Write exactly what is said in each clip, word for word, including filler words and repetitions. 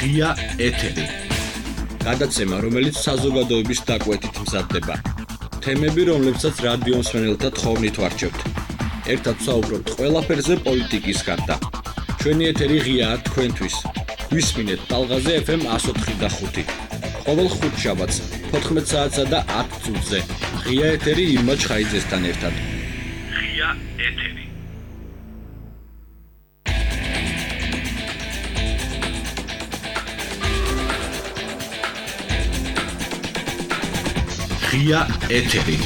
ღია ეთერი. გადაცემა, რომელიც საზოგადოების დაკვეთით მზადდება. თემები, რომლებსაც რადიო მსმენელთა თხოვნით ვარჩევთ. ერთად ვსაუბრობთ ყველაფერზე პოლიტიკის გარდა. ჩვენი ეთერი ღიაა თქვენთვის. ვისმინეთ ტალღაზე ეფ ემ εκατო ოთხი და ხუთი. ყოველ ხუთშაბათს თოთხმეტ საათსა და ათ წუთზე. ღია ეთერი ირმა ჩხაიძესთან ერთად. ღია ეთერი. ღია ეთერი.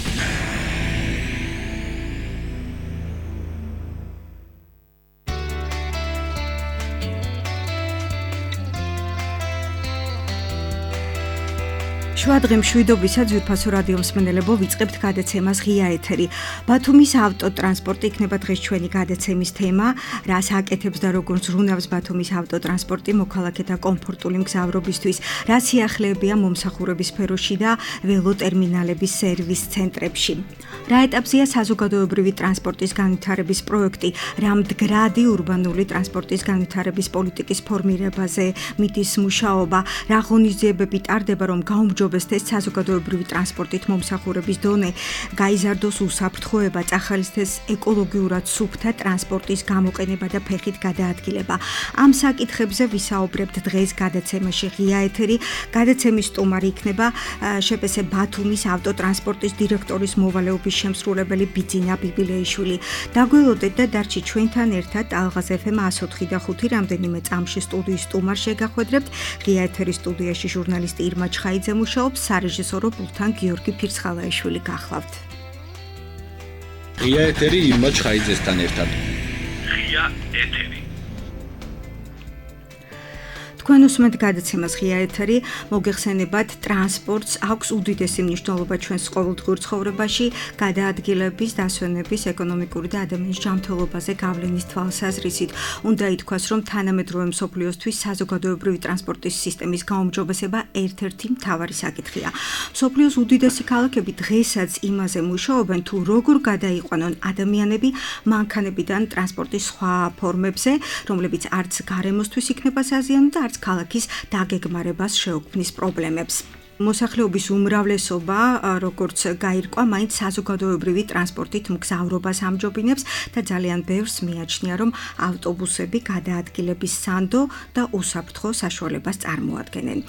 შვადღე მშვიდობისა ძვირფასო რადიო მსმენელებო, ვიწყებთ გადაცემას ღია ეთერი. ბათუმის ავტოტრანსპორტი იქნება დღეს ჩვენი გადაცემის თემა, რას აკეთებს და როგორ ზრუნავს ბათუმის ავტოტრანსპორტი მოქალაქეთა კომფორტული მგზავრობისთვის, რა სიახლეებია მომსახურების სფეროში და ველოტერმინალების სერვის ცენტრებში. რა ეტაპზეა საზოგადოებრივი ტრანსპორტის განვითარების პროექტი, რა მდგრადი ურბანული ტრანსპორტის განვითარების პოლიტიკის ფორმირებაზე მიდის მუშაობა, რა ღონისძიებები ტარდება, რომ გაუმჯობესდეს საზოგადოებრივი ტრანსპორტით მომსახურების დონე, გაიზარდოს უსაფრთხოება, წახალისდეს ეკოლოგიურად სუფთა ტრანსპორტის გამოყენება და ფეხით გადაადგილება. ამ საკითხებზე ვისაუბრებთ დღეს გადაცემაში ღია ეთერი. გადაცემის სტუმარი იქნება შპს ბათუმის ავტოტრანსპორტის დირექტორის მოვალეობის შემსრულებელი ბიძინა ბიბილეიშვილი. დაგველოდეთ და დარჩით ჩვენთან ერთად ტალღაზე ეფ ემ εκατო ოთხი და ხუთი რამდენიმე წამში სტუდიის სტუმარს შეგახვედრებთ. ღია ეთერის სტუდიაში ჟურნალისტი ირმა ჩხაიძე მუშაობს, სარეჟისორო პულტთან გიორგი ფირცხალაიშვილი გახლავთ. ღია ეთერი ირმა ჩხაიძესთან ერთად. ღია ეთერი. თქვენ უსმენთ გადაცემას ღია ეთერი. მოგეხსენებათ, ტრანსპორტს აქვს უდიდესი მნიშვნელობა ჩვენს ყოველდღიურ ცხოვრებაში, გადაადგილების, დასვენების, ეკონომიკური და ადამიანის ჯანმრთელობაზე გავლენის თვალსაზრისით. უნდა ითქვას, რომ თანამედროვე მსოფლიოსთვის საზოგადოებრივი ტრანსპორტის სისტემის გაუმჯობესება ერთ-ერთი მთავარი საკითხია. მსოფლიოს უდიდესი ქალაქები დღესაც იმაზე მუშაობენ, თუ როგორ გადაიყვანონ ადამიანები მანქანებიდან ტრანსპორტის სხვა ფორმებზე, რომლებიც არც გარემოსთვის იქნება საზიანო და არც ქალაქის დაგეგმარებას შეუქმნის პრობლემებს. მოსახლეობის უმრავლესობა, როგორც გაირკვა, მაინც საზოგადოებრივი ტრანსპორტით მგზავრობას ამჯობინებს და ძალიან ბევრს მიაჩნია, რომ ავტობუსები გადაადგილების სანდო და უსაფრთხო საშუალებას წარმოადგენენ.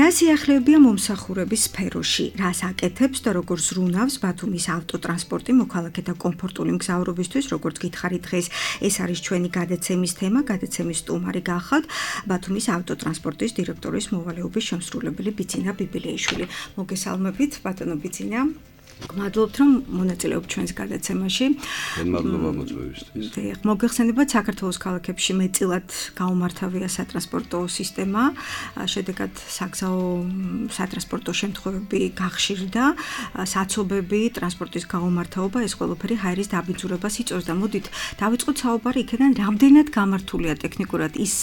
რა სიახლეებია მომსახურების სფეროში, რას აკეთებს და როგორ ზრუნავს ბათუმის ავტოტრანსპორტი მოქალაქეთა კომფორტული მგზავრობისთვის, როგორც გითხარით დღეს, ეს არის ჩვენი გადაცემის თემა. გადაცემის სტუმარი გახლავთ ბათუმის ავტოტრანსპორტის დირექტორის მოვალეობის შემსრულებელი ბიძინა ბიბილეიშვილი. მოგესალმებით, ბატონო ბიძინა. გმადლობთ, რომ მონაწილეობთ ჩვენს გადაცემაში. მადლობა მოწვევისთვის. დიახ, მოგეხსენებათ, საქართველოს ქალაქებში მეტწილად გაუმართავია სატრანსპორტო სისტემა, შედეგად საგზაო სატრანსპორტო შემთხვევები გახშირდა, საცობები, ტრანსპორტის გაუმართავობა, ეს ყველაფერი ჰაერის დაბინძურებას იწვევს და მოდით დავიწყოთ საუბარი იქიდან, რამდენად გამართულია ტექნიკურად ის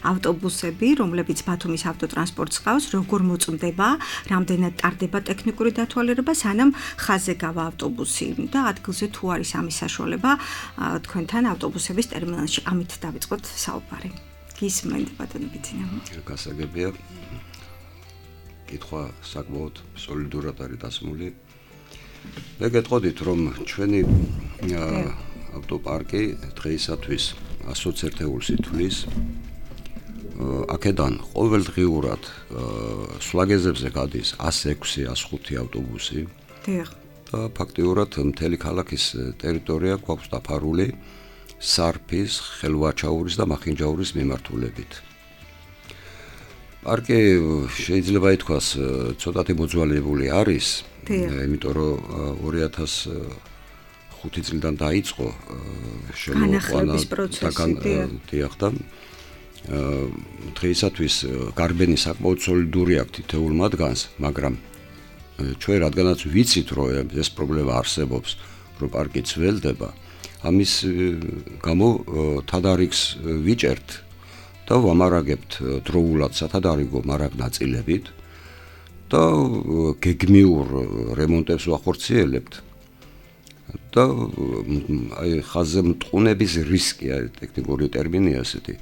ავტობუსები, რომლებიც ბათუმის ავტოტრანსპორტს ყავს, როგორ მოწმდება, რამდენად ტარდება ტექნიკური დათვალიერება, სანამ ხაზზე გავა ავტობუსი და ადგილზე თუ არის ამის საშუალება თქვენთან ავტობუსების ტერმინალში. ამით დავიწყოთ საუბარი. გისმენთ, ბატონო ბიძინა. გასაგებია. კითხვა საკმაოდ სოლიდურად არის დასმული. მე გეტყოდით, რომ ჩვენი ავტოპარკი დღეისათვის ასოც ერთეულს ითვლის. აქედან ყოველდღიურად სვლაგეზებზე გადის ასი ექვსი ასი ხუთი ავტობუსი. და ფაქტიურად მთელი ქალაქის ტერიტორია გვაქვს დაფარული სარფის, ხელვაჩაურის და მახინჯაურის მიმართულებით. პარკი შეიძლება ითქვას ცოტათი მოძველებული არის, იმიტომ რომ ორი ათას ხუთი წლიდან დაიწყო შემოყვანა და დღეისათვის გარბენი საკმაოდ სოლიდური აქვს თითოეულ მათგანს, მაგრამ ჩვენ რადგანაც ვიცით, რომ ეს პრობლემა არსებობს, რომ პარკი ძველდება, ამის გამო თადარიგს ვიჭერთ და ვამარაგებთ დროულად სათადარიგო მარაგ ნაწილებით და გეგმიურ რემონტებს ვახორციელებთ და აი ხაზზე მტყუნების რისკია ტექნიკური ტერმინია ესეთი.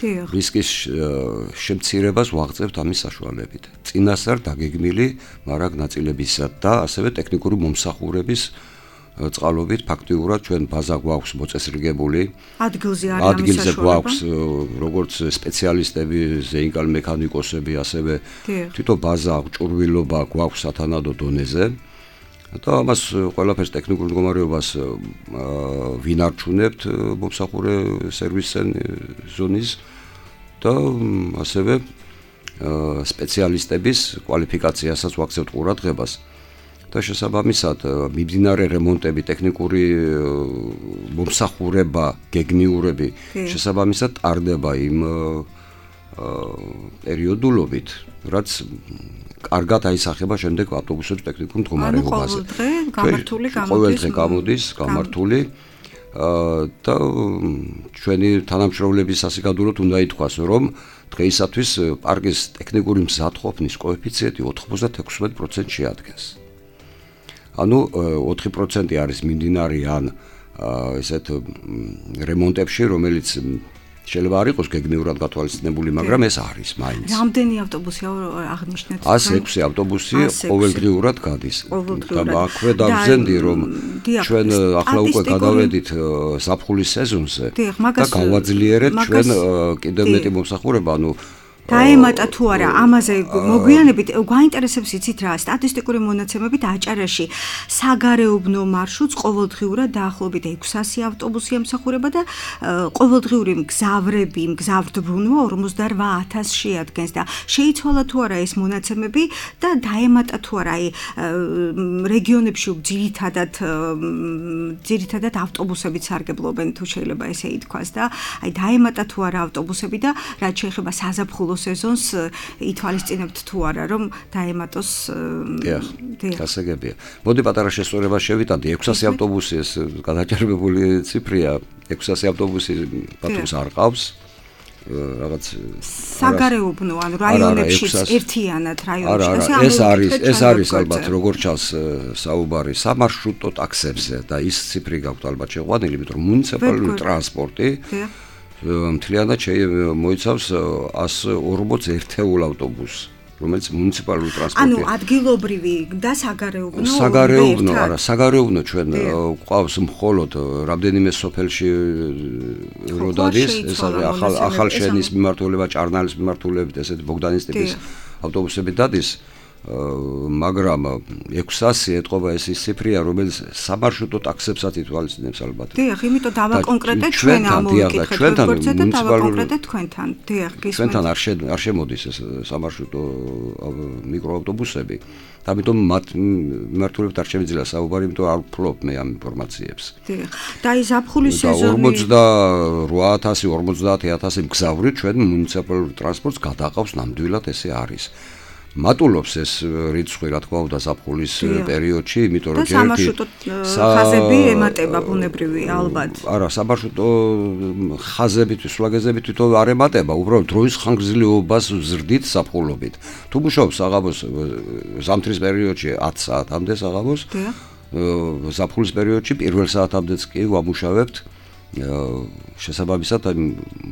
რისკის შემცირებას ვაღწევთ ამის საშუალებით. წინასწარ დაგეგმილი მარაგ ნაწილებისა და ასევე ტექნიკური მომსახურების წყალობით ფაქტიურად ჩვენ ბაზა გვაქვს მოწესრიგებული. ადგილზე არის ამის ადგილზე გვაქვს როგორც სპეციალისტები, ზეინკალ მექანიკოსები, ასევე თვითონ ბაზა ჭურვილობა გვაქვს სათანადო დონეზე. და ამას ყველაფერს ტექნიკურ მდგომარეობას ვინარჩუნებთ მომსახურე სერვის ზონის და ასევე სპეციალისტების კვალიფიკაციასაც ვაქცევთ ყურადღებას და შესაბამისად მიმდინარე რემონტები, ტექნიკური მომსახურება, გეგმიურები შესაბამისად ტარდება იმ პერიოდულობით, რაც კარგად აისახება შემდეგ ავტობუსების ტექნიკურ მდგომარეობაზე. ანუ ყოველდღე გამართული გამოდის. ყოველდღე გამოდის გამართული და ჩვენი თანამშრომლების სასიკადუროდ უნდა ითქვას, რომ დღეისათვის პარკის ტექნიკური მზადყოფნის კოეფიციენტი ოცდაექვსმეტ პროცენტს შეადგენს. ანუ ოთხი პროცენტი არის მიმდინარე ან ესეთ რემონტებში, რომელიც შეიძლება არ იყოს გეგმიურად გათვალისწინებული, მაგრამ ეს არის მაინც. რამდენი ავტობუსია აღნიშნეთ? ას ექვსი ავტობუსი ყოველდღიურად გადის. და აქვე დავზენდი, რომ ჩვენ ახლა უკვე გადავედით ზაფხულის სეზონზე და გავაძლიერეთ ჩვენ კიდევ მეტი მომსახურება, ანუ დაემატა თუ არა ამაზე მოგვიანებით გვაინტერესებს იცით რა სტატისტიკური მონაცემებით აჭარაში საგარეუბნო მარშრუტს ყოველდღიურად დაახლოებით ექვსასი ავტობუსი ემსახურება და ყოველდღიური მგზავრები მგზავრდბუნვა ორმოცდარვა ათასს შეადგენს და შეიცვალა თუ არა ეს მონაცემები და დაემატა თუ არა აი რეგიონებში ძირითადად ძირითადად ავტობუსებით სარგებლობენ თუ შეიძლება ესე ითქვას და აი დაემატა თუ არა ავტობუსები და რაც შეეხება საზაფხულო სეზონს ითვალისწინებთ თუ არა რომ დაემატოს დიახ გასაგებია. მოდი პატარა შესწორება შევიტანდი. ექვსასი ავტობუსი ეს გადაჭარბებული ციფრია. ექვსასი ავტობუსი ბათუმს არ ყავს. რაღაც საგარეუბნო ანუ რაიონებში ერთიანად რაიონებში ეს არის ეს არის ალბათ როგორც ჩანს საუბარი სამარშრუტო ტაქსებზე და ის ციფრი გაქვთ ალბათ შეყვანილი, იმიტომ რომ მუნიციპალური ტრანსპორტი მთლიანად მოიცავს ას ორმოც ერთეულ ავტობუსს, რომელიც მუნიციპალური ტრანსპორტია. ანუ ადგილობრივი და საგარეუბნო. საგარეუბნო, არა, საგარეუბნო ჩვენ გვყავს მხოლოდ რამდენიმე სოფელში როდადის, ეს არის ახალ ახალშენის მიმართულება, ჭარნალის მიმართულებით, ესეთი ბოგდანის ტიპის ავტობუსები დადის. მაგრამ ექვსასი ეთყობა ეს ის ციფრია, რომელიც სამარშრუტო ტაქსებსაც ითვალისწინებს ალბათ. დიახ, იმიტომ დავაკონკრეტეთ ჩვენ ამოვიკითხეთ როგორც და დავაკონკრეტეთ თქვენთან. დიახ, გისმენთ. ჩვენთან არ არ შემოდის ეს სამარშრუტო მიკროავტობუსები. ამიტომ მათ მიმართულებით არ შემიძლია საუბარი, იმიტომ არ ვფლობ მე ამ ინფორმაციებს. დიახ. და ის ზაფხულის სეზონი ორმოცდაოთხ ათასი ორმოცდაათი ათასი მგზავრი ჩვენ მუნიციპალურ ტრანსპორტს გადაყავს ნამდვილად ესე არის. მატულობს ეს რიცხვი რა თქმა უნდა ზაფხულის პერიოდში, იმიტომ რომ ჯერ სამარშრუტო ხაზები ემატება ბუნებრივი ალბათ. არა, სამარშრუტო ხაზები სულაგეზები თვითონ არ ემატება, უბრალოდ დროის ხანგრძლივობას ვზრდით ზაფხულობით. თუ მუშაობს საღამოს ზამთრის პერიოდში ათ საათამდე საღამოს, ზაფხულის პერიოდში პირველ საათამდეც კი ვამუშავებთ შესაბამისად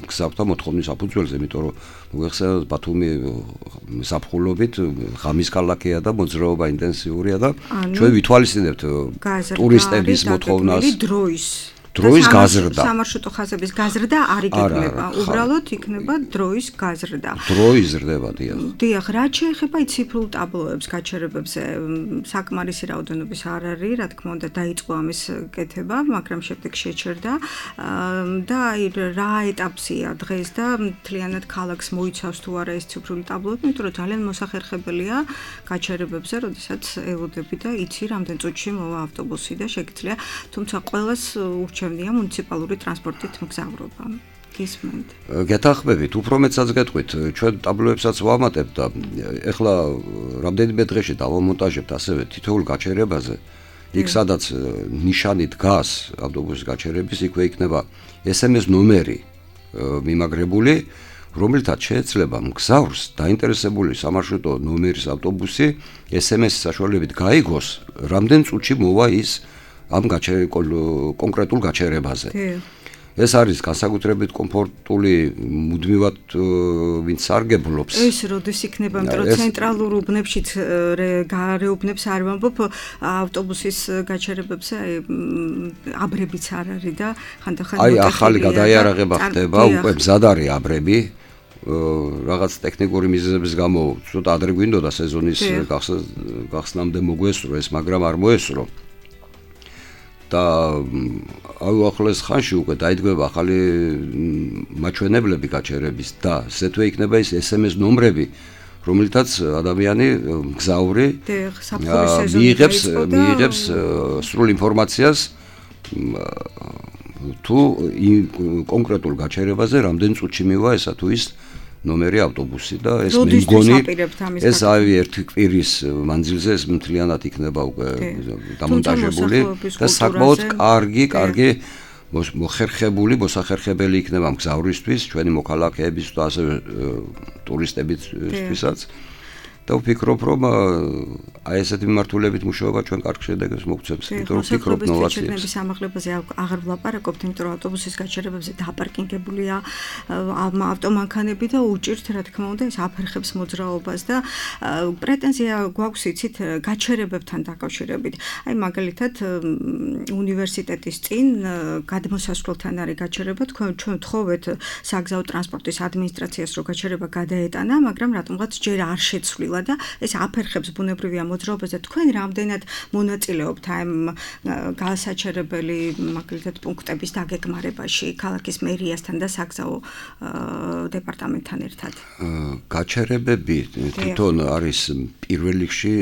გზავრთა მოთხოვნის საფუძველზე, იმიტომ რომ მოიხსენოთ ბათუმი ზაფხულობით ღამის ქალაქია და მოძრაობა ინტენსიურია და ჩვენ ვითვალისწინებთ ტურისტების მოთხოვნას დროის დროის გაზრდა. სამარშრუტო ხაზების გაზრდა არ იგეგმება, უბრალოდ იქნება დროის გაზრდა. დროის ზრდება, დიახ. დიახ, რაც შეეხება ციფრულ ტაბლოებს, გაჩერებებზე, საკმარისი რაოდენობის არ არის, რა თქმა უნდა, დაიწყო ამის კეთება, მაგრამ შემდეგ შეჩერდა და აი რა ეტაპზეა დღეს და მთლიანად ქალაქს მოიცავს თუ არა ეს ციფრული ტაბლოები, იმიტომ რომ ძალიან მოსახერხებელია გაჩერებებზე, როდესაც ელოდები და იცი რამდენ წუთში მოვა ავტობუსი და შეგიძლია, თუმცა ყველას ურჩევნია მუნიციპალური ტრანსპორტით მგზავრობა. გისმენთ. გეთანხმებით, უფრო მეცაც გეტყვით, ჩვენ ტაბლოებსაც ვამატებთ და ეხლა რამდენიმე დღეში დავამონტაჟებთ ასევე თითოეულ გაჩერებაზე. იქ სადაც ნიშანი დგას ავტობუსის გაჩერების, იქვე იქნება ეს ემ ეს ნომერი მიმაგრებული, რომელთაც შეეძლება მგზავრს დაინტერესებული სამარშრუტო ნომერის ავტობუსი ეს ემ ეს საშუალებით გაიგოს, რამდენ წუთში მოვა ის ამ კონკრეტულ გაჩერებაზე. ეს არის განსაკუთრებით კომფორტული მუდმივად ვინც სარგებლობს. ეს როდის იქნება, იმიტომ რომ ცენტრალურ უბნებშიც გარე უბნებს არ ვამბობ, ავტობუსის გაჩერებებზე აბრებიც არ არის და ხანდახან აი ახალი გადაიარაღება ხდება, უკვე მზად არის აბრები. რაღაც ტექნიკური მიზეზების გამო ცოტა ადრე გვინდოდა სეზონის გახსნამდე მოგვესწრო ეს, მაგრამ არ მოესწრო. და აუახლეს ხანში უკვე დაიდგება ახალი მაჩვენებლები გაჩერების და ზეთვე იქნება ის ეს ემ ეს ნომრები, რომელთაც ადამიანი მგზავრი მიიღებს მიიღებს სრულ ინფორმაციას თუ კონკრეტულ გაჩერებაზე რამდენ წუთში მივა ესა თუ ის ნომერი ავტობუსი და ეს მე მგონი ეს აი ერთი კვირის მანძილზე ეს მთლიანად იქნება უკვე დამონტაჟებული და საკმაოდ კარგი, კარგი მოხერხებული, მოსახერხებელი იქნება მგზავრისთვის, ჩვენი მოქალაქეების და ასევე ტურისტებისთვისაც. და ვფიქრობ, რომ აი ესეთი მიმართულებით მუშაობა ჩვენ კარგ შედეგებს მოგცემს, იმიტომ რომ ვფიქრობ ნოვაციებს. სამაღლებაზე აღარ ვლაპარაკობთ, იმიტომ რომ ავტობუსის გაჩერებებზე დაპარკინგებულია ავტომანქანები და უჭირთ, რა თქმა უნდა, ეს აფერხებს მოძრაობას და პრეტენზია გვაქვს იცით გაჩერებებთან დაკავშირებით. აი მაგალითად უნივერსიტეტის წინ გადმოსასვლელთან არის გაჩერება, თქვენ ჩვენ ვთხოვეთ საგზაო ტრანსპორტის ადმინისტრაციას, რომ გაჩერება გადაეტანა, მაგრამ რატომღაც ჯერ არ შეცვლილა და ეს აფერხებს ბუნებრივია მოძრაობას და თქვენ რამდენად მონაწილეობთ ამ გასაჩერებელი მაგალითად პუნქტების დაგეგმარებაში ქალაქის მერიასთან და საგზაო დეპარტამენტთან ერთად? გაჩერებები თვითონ არის პირველ რიგში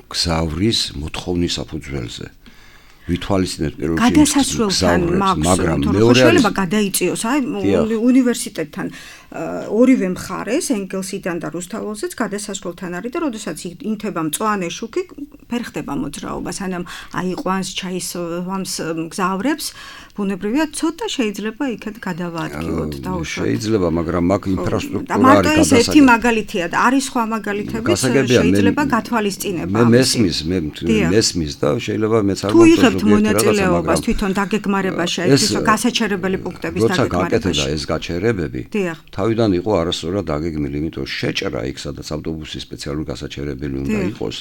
გზავრის მოთხოვნის საფუძველზე. ვითვალისწინებთ პირველ რიგში გადასასვლელთან, მაგრამ მეორე შეიძლება გადაიწიოს აი უნივერსიტეტთან ორივე მხარეს, ენგელსიდან და რუსთაველზეც გადასასვლელთან არის და როდესაც ინთება მწვანე შუქი, ფერხდება მოძრაობა, სანამ აიყვანს ჩაისვამს მგზავრებს, ბუნებრივია ცოტა შეიძლება იქეთ გადავაადგილოთ დაუშვათ. შეიძლება, მაგრამ მაგ ინფრასტრუქტურა არის გადასაგები. ეს ერთი მაგალითია და არის სხვა მაგალითებიც შეიძლება გათვალისწინება. მე მესმის, მე მესმის და შეიძლება მეც არ თუ იღებთ მონაწილეობას თვითონ დაგეგმარებაში, ეს გასაჩერებელი პუნქტების დაგეგმარებაში. როცა გაკეთდა ეს გაჩერებები, თავიდან იყო არასწორად დაგეგმილი, იმიტომ შეჭრა იქ სადაც ავტობუსის სპეციალური გასაჩერებელი უნდა იყოს.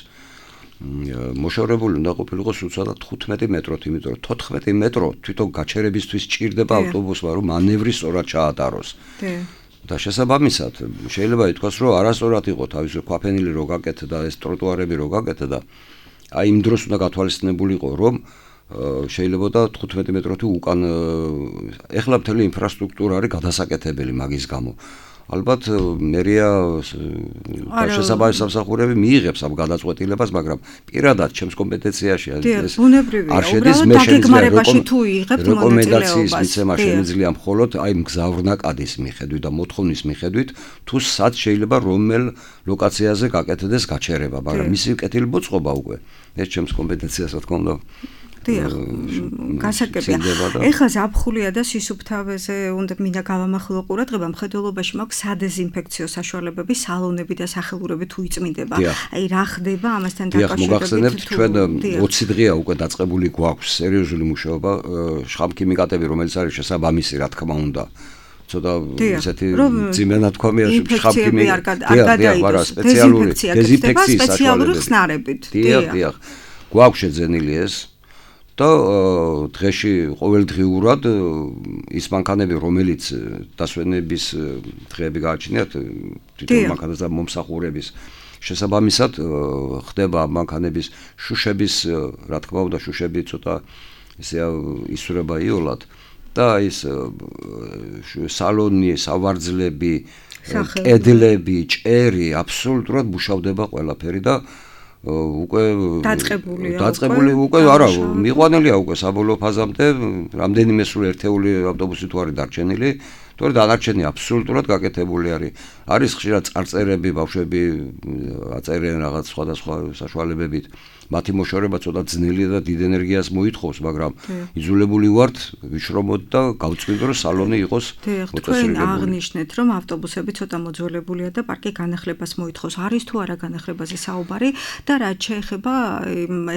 მოშორებული უნდა ყოფილიყო სულცადად თხუთმეტი მეტროთ, იმიტომ რომ თოთხმეტი მეტრო თვითონ გაჩერებისთვის ჭირდება ავტობუსმა, რომ მანევრი სწორად ჩაატაროს. და შესაბამისად, შეიძლება ითქვას, რომ არასწორად იყო თავისუფლად ქვაფენილი რო გაკეთდა, ეს ტროტუარები რო გაკეთდა, აი იმ დროს უნდა გათვალისწინებულიყო, რომ შეიძლება და თხუთმეტი მეტროთი უკან ეხლა მთელი ინფრასტრუქტურა არის გადასაკეთებელი მაგის გამო. ალბათ მერია შესაბამის სამსახურები მიიღებს ამ გადაწყვეტილებას, მაგრამ პირადად ჩემს კომპეტენციაში ეს არ შედის, მე შეიძლება რეკომენდაციის მიცემა შემიძლია მხოლოდ აი მგზავრნაკადის მიხედვით და მოთხოვნის მიხედვით, თუ სად შეიძლება რომელ ლოკაციაზე გაკეთდეს გაჩერება, მაგრამ მისი კეთილმოწყობა უკვე ეს ჩემს კომპეტენციას რა თქმა უნდა. დიახ, გასაგებია. ეხლა ზაფხულია და სისუფთავეზე უნდა მინდა გავამახვილო ყურადღება, მხედველობაში მაქვს სადეზინფექციო საშუალებები, სალონები და სახელურები თუ იწმინდება. აი რა ხდება ამასთან დაკავშირებით? დიახ, მოგახსენებთ, ჩვენ ოცი დღეა უკვე დაწყებული გვაქვს სერიოზული მუშაობა, შხამქიმიკატები, რომელიც არის შესაბამისი, რა თქმა უნდა. ცოტა ისეთი ძიმენათქვამია შხამქიმი არ გადაიდოს სპეციალური დეზინფექციის საშუალებები ხსნარებით. დიახ, დიახ. გვაქვს შეძენილი ეს და დღეში ყოველდღიურად ის მანქანები, რომელიც დასვენების დღეები გააჩნიათ, თვითონ მანქანას და მომსახურების შესაბამისად ხდება მანქანების შუშების, რა თქმა უნდა, შუშები ცოტა ისე ისურება იოლად და ის სალონი, სავარძლები, კედლები, ჭერი აბსოლუტურად მუშავდება ყველაფერი და უკვე დაწყებულია დაწყებული უკვე არა მიყვანილია უკვე საბოლოო ფაზამდე რამდენიმე სულ ერთეული ავტობუსი თუ არის დარჩენილი თორე დანარჩენი აბსოლუტურად გაკეთებული არის. არის ხშირად წარწერები, ბავშვები აწერენ რაღაც სხვადასხვა საშუალებებით. მათი მოშორება ცოტა ძნელია და დიდ ენერგიას მოითხოვს, მაგრამ იძულებული ვართ ვიშრომოთ და გავწვინდო რომ სალონი იყოს მოწესრიგებული. თქვენ აღნიშნეთ, რომ ავტობუსები ცოტა მოძველებულია და პარკი განახლებას მოითხოვს. არის თუ არა განახლებაზე საუბარი და რაც შეეხება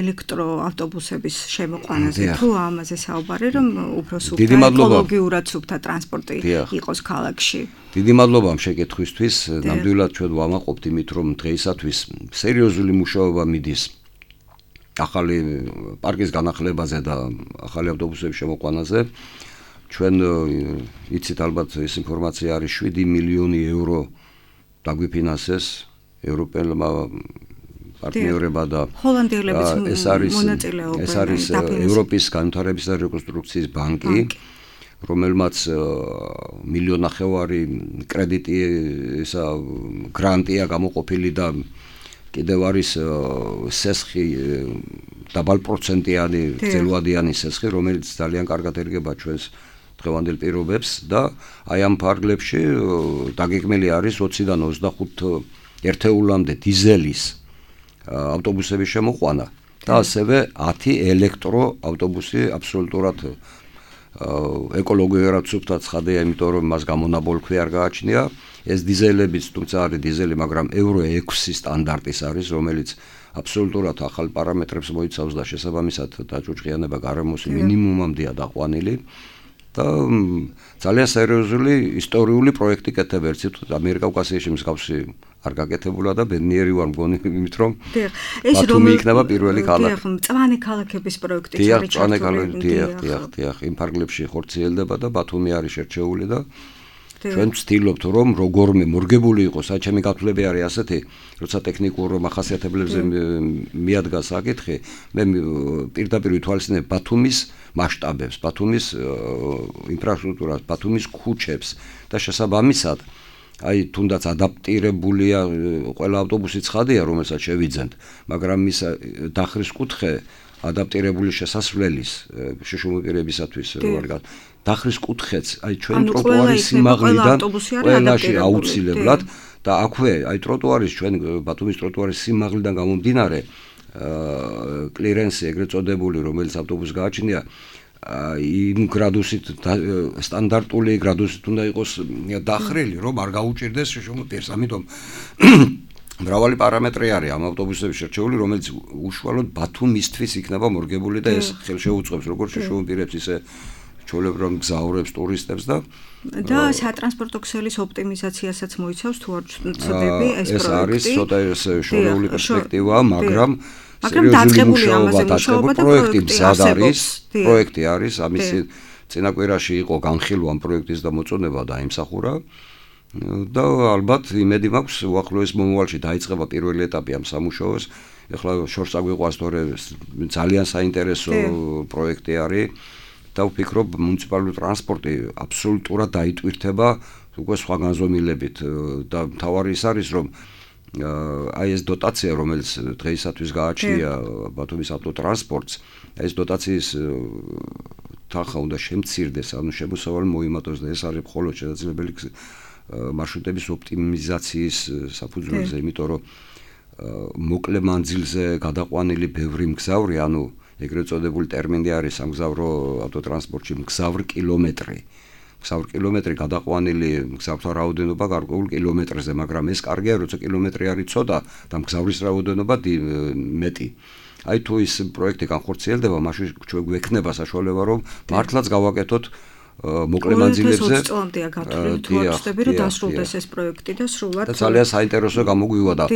ელექტროავტობუსების შემოყვანაზე, თუ ამაზე საუბარი, რომ უფრო სუფთა ეკოლოგიურად სუფთა ტრანსპორტი იყოს ქალაქში. დიდი მადლობა ამ შეკითხვისთვის. ნამდვილად ჩვენ ვამაყობთ იმით, რომ დღეისათვის სერიოზული მუშაობა მიდის ახალი პარკის განახლებაზე და ახალი ავტობუსების შემოყვანაზე. ჩვენ იცით ალბათ ეს ინფორმაცია არის შვიდი მილიონი ევრო დაგვიფინანსეს ევროპელმა პარტნიორებმა და ჰოლანდიელების მონაწილეობა. ეს არის ევროპის განვითარების და რეკონსტრუქციის ბანკი, რომელმაც მილიონ ნახევარი კრედიტი ისა გრანტია გამოყოფილი და კიდევ არის სესხი დაბალპროცენტიანი ძელვადიანი სესხი, რომელიც ძალიან კარგად ერგება ჩვენს დღევანდელ პირობებს და აი ამ ფარგლებში დაგეგმილი არის ოციდან ოცდახუთ ერთეულამდე დიზელის ავტობუსების შემოყვანა და ასევე ათი ელექტრო ავტობუსი აბსოლუტურად ეკოლოგიურად სუფთა ცხადია, იმიტომ რომ მას გამონაბოლქვი არ გააჩნია. ეს დიზელებიც, თუმცა არის დიზელი, მაგრამ ევრო ექვსი სტანდარტის არის, რომელიც აბსოლუტურად ახალ პარამეტრებს მოიცავს და შესაბამისად დაჯუჯღიანება გარემოს მინიმუმამდეა დაყვანილი და ძალიან სერიოზული ისტორიული პროექტი კეთდება. ერთით ამიერკავკასიაში მსგავსი არ გაკეთებულა და ბედნიერი ვარ მგონი იმით, რომ ბათუმი იქნება პირველი ქალაქი. მწვანე ქალაქების პროექტიც არის ჩართული. დიახ, დიახ, დიახ, იმ ფარგლებში ხორციელდება და ბათუმი არის შერჩეული და ჩვენ ვცდილობთ რომ როგორმე მორგებული იყოს, საჩემი გათვლები არის ასეთი, როცა ტექნიკურ მახასიათებლებზე მიადგა საკითხი, მე პირდაპირ ვითვალისწინებ ბათუმის მასშტაბებს, ბათუმის ინფრასტრუქტურას, ბათუმის ქუჩებს და შესაბამისად აი თუნდაც ადაპტირებულია ყველა ავტობუსი ცხადია, რომელსაც შევიძენთ, მაგრამ მის დახრის კუთხე ადაპტირებული შესასვლელის შეშუმოპირებისათვის როარ დახრის კუთხეც აი ჩვენი ტროტუარის სიმაღლიდან ყველაში აუცილებლად და აქვე აი ტროტუარის ჩვენ ბათუმის ტროტუარის სიმაღლიდან გამომდინარე კლირენსი ეგრეთ წოდებული, რომელიც ავტობუსს გააჩნია იმ გრადუსით სტანდარტული გრადუსით უნდა იყოს დახრილი, რომ არ გაუჭირდეს შეშუმოპირს. ამიტომ მრავალი პარამეტრი არის ამ ავტობუსების შერჩეული, რომელიც უშუალოდ ბათუმისთვის იქნება მორგებული და ეს ხელშეუწყობს როგორც შეშუმოპირებს, ისე ჩვეულებრივ მგზავრებს, ტურისტებს და და სატრანსპორტო ქსელის ოპტიმიზაციასაც მოიცავს თუ არ ვცდები ეს პროექტი. ეს არის ცოტა შორეული პერსპექტივა, მაგრამ მაგრამ დაწყებული ამაზე მუშაობა და პროექტი მზად არის, პროექტი არის, ამის წინაკვირაში იყო განხილვა ამ პროექტის და მოწონება დაიმსახურა. და ალბათ იმედი მაქვს უახლოეს მომავალში დაიწყება პირველი ეტაპი ამ სამუშაოს. ეხლა შორს აგვიყვანს თორე ძალიან საინტერესო პროექტი არის და ვფიქრობ მუნიციპალური ტრანსპორტი აბსოლუტურად დაიტვირთება უკვე სხვა განზომილებით და მთავარი ის არის რომ აი ეს დოტაცია რომელიც დღეისათვის გააჩნია ბათუმის ავტოტრანსპორტს, ეს დოტაციის თანხა უნდა შემცირდეს, ანუ შემოსავალი მოიმატოს და ეს არის მხოლოდ შესაძლებელი მარშრუტების ოპტიმიზაციის საფუძველზე, იმიტომ რომ მოკლე მანძილზე გადაყვანილი ბევრი მგზავრი, ანუ ეგრეთ წოდებული ტერმინი არის სამგზავრო ავტოტრანსპორტში მგზავრ კილომეტრი. მგზავრ კილომეტრი გადაყვანილი მგზავრთა რაოდენობა გარკვეულ კილომეტრზე, მაგრამ ეს კარგია, როცა კილომეტრი არის ცოტა და მგზავრის რაოდენობა მეტი. აი თუ ის პროექტი განხორციელდება, მაშინ ჩვენ გვექნება საშუალება, რომ მართლაც გავაკეთოთ მოკლე მანძილებზე წლამდეა გათვლილი, თუ არ ვწდები, რომ დასრულდეს ეს პროექტი და სრულად და ძალიან საინტერესო გამოგვივა და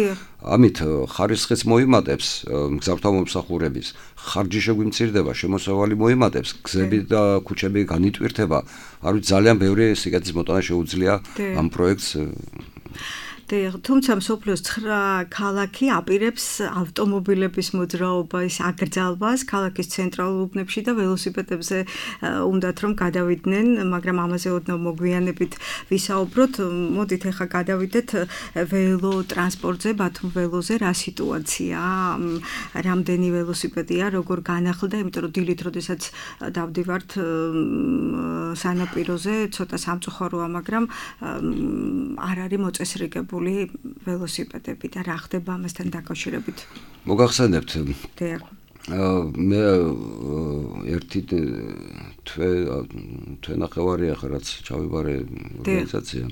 ამით ხარისხიც მოიმატებს მგზავრთა მომსახურების, ხარჯი შეგვიმცირდება, შემოსავალი მოიმატებს, გზები და ქუჩები განიტვირთება. არ ვიცი, ძალიან ბევრი სიკეთის მოტანა შეუძლია ამ პროექტს. თუმცა მსოფლიოს ცხრა ქალაქი აპირებს ავტომობილების მოძრაობის აკრძალვას ქალაქის ცენტრალურ უბნებში და ველოსიპედებზე უნდათ რომ გადავიდნენ, მაგრამ ამაზე ოდნავ მოგვიანებით ვისაუბროთ. მოდით ახლა გადავიდეთ ველო ტრანსპორტზე, ბათუმ ველოზე, რა სიტუაცია, რამდენი ველოსიპედია, როგორ განახლდა, იმიტომ რომ დილით როდესაც დავდივართ სანაპიროზე, ცოტა სამწუხაროა, მაგრამ არ არის მოწესრიგებული ველოსიპედები და რა ხდება ამასთან დაკავშირებით? მოგახსენებთ. დიახ. მე ერთი თვე თვენახევარია ხა რაც ჩავიბარე ორგანიზაცია.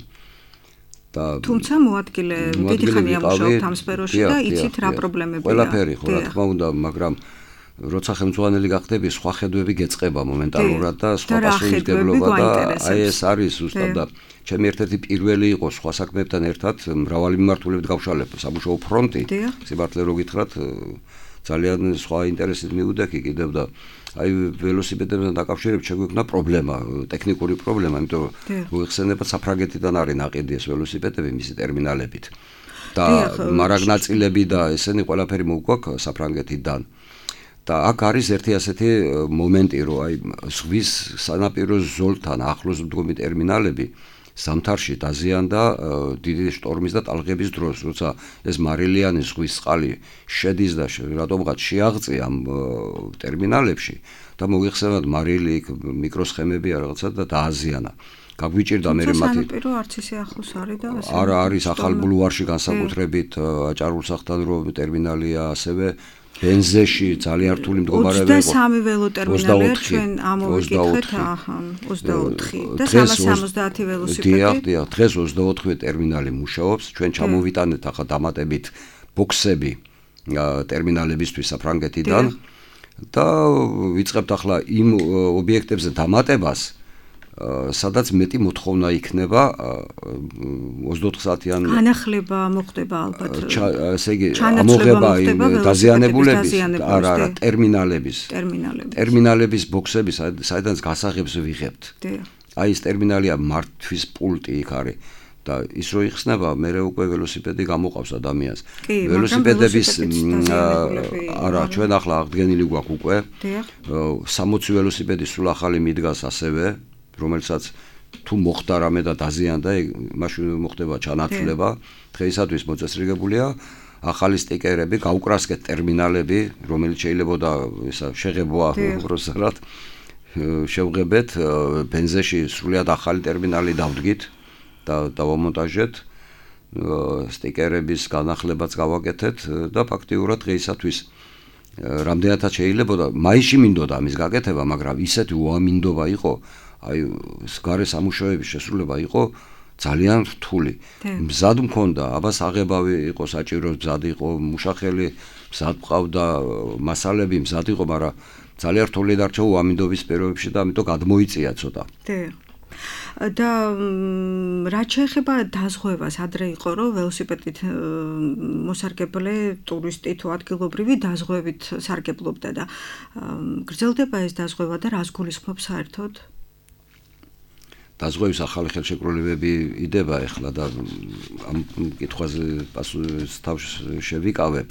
და თუმცა მოადგილე დიდი ხანია მუშაობთ ამ სფეროში და იცით რა პრობლემებია. ყველაფერი ხო რა თქმა უნდა, მაგრამ როცა ხელმძღვანელი გახდები, სხვა ხედვები გეწყება მომენტალურად და სხვა პასუხისმგებლობა და აი ეს არის ზუსტად და ჩემი ერთ-ერთი პირველი იყო სხვა საქმეებთან ერთად მრავალი მიმართულებით გავშალებ სამუშაო ფრონტი. სიმართლე რო გითხრათ, ძალიან სხვა ინტერესით მივდექი კიდევ და აი ველოსიპედებთან დაკავშირებით შეგვექნა პრობლემა, ტექნიკური პრობლემა, იმიტომ რომ მოიხსენებათ საფრანგეთიდან არის ნაყიდი ეს ველოსიპედები მისი ტერმინალებით. და მარაგნაწილები და ესენი ყველაფერი მოგვაქვს საფრანგეთიდან. და აქ არის ერთი ასეთი მომენტი, რომ აი ზღვის სანაპირო ზოლთან ახლოს მდგომი ტერმინალები ზამთარში დაზიანდა დიდი შტორმის და ტალღების დროს, როცა ეს მარილიანი ზღვის წყალი შედის და რატომღაც შეაღწია ამ ტერმინალებში და მოიხსენებათ მარილი, მიკროსხემები რაღაცა და დააზიანა. გაგვიჭირდა მე მათი სანაპირო არც ისე ახლოს არის და ასე. არა, არის ახალ ბულვარში განსაკუთრებით აჭარულსახთან რო ტერმინალია, ასევე ბენზეში ძალიან რთული მდგომარეობა იყო. ოცდასამი ველო ტერმინალია ჩვენ ამოვიკითხეთ, აჰა, ოცდაოთხი და სამას სამოცდაათი ველოსიპედი. დიახ, დიახ, დღეს ოცდაოთხი ტერმინალი მუშაობს. ჩვენ ჩამოვიტანეთ ახლა დამატებით ბოქსები ტერმინალებისთვის საფრანგეთიდან და ვიწყებთ ახლა იმ ობიექტებზე დამატებას, სადაც მეტი მოთხოვნა იქნება ოცდაოთხ საათიან განახლება მოხდება ალბათ. ესე იგი, ამოღება იმ დაზიანებულების, არა, არა, ტერმინალების. ტერმინალების. ტერმინალების ბოქსები, საიდანაც გასაღებს ვიღებთ. აი ეს ტერმინალია მართვის პულტი იქ არის. და ის რო იხსნება, მე უკვე ველოსიპედი გამოყავს ადამიანს. ველოსიპედების არა, ჩვენ ახლა აღდგენილი გვაქვს უკვე. სამოცი ველოსიპედი სულ ახალი მიდგას ასევე, რომელსაც თუ მოხდა რამე და დაზიანდა, მაშინ მოხდება ჩანაცვლება. დღეისათვის მოწესრიგებულია ახალი სტიკერები, გაუკრასკეთ ტერმინალები, რომელიც შეიძლება ისა შეღებოა უბრალოდ შევღებეთ, ბენზეში სრულიად ახალი ტერმინალი დავდგით და დავამონტაჟეთ, სტიკერების განახლებაც გავაკეთეთ და ფაქტიურად დღეისათვის რამდენადაც შეიძლება მაისში მინდოდა ამის გაკეთება, მაგრამ ისეთი უამინდობა იყო, აი გარე სამუშაოების შესრულება იყო ძალიან რთული. მზად მქონდა, აბა საღებავი იყო საჭირო, მზად იყო მუშახელი, მზად ყავდა მასალები, მზად იყო, მაგრამ ძალიან რთული დარჩა უამინდობის პირობებში და ამიტომ გადმოიწია ცოტა. და რაც შეეხება დაზღვევას, ადრე იყო რომ ველოსიპედით მოსარგებლე ტურისტი თუ ადგილობრივი დაზღვევით სარგებლობდა და გრძელდება ეს დაზღვევა და რას გულისხმობს საერთოდ? დაზღვევის ახალი ხელშეკრულებები იდება ახლა და ამ კითხვაზე პასუხს თავს შევიკავებ.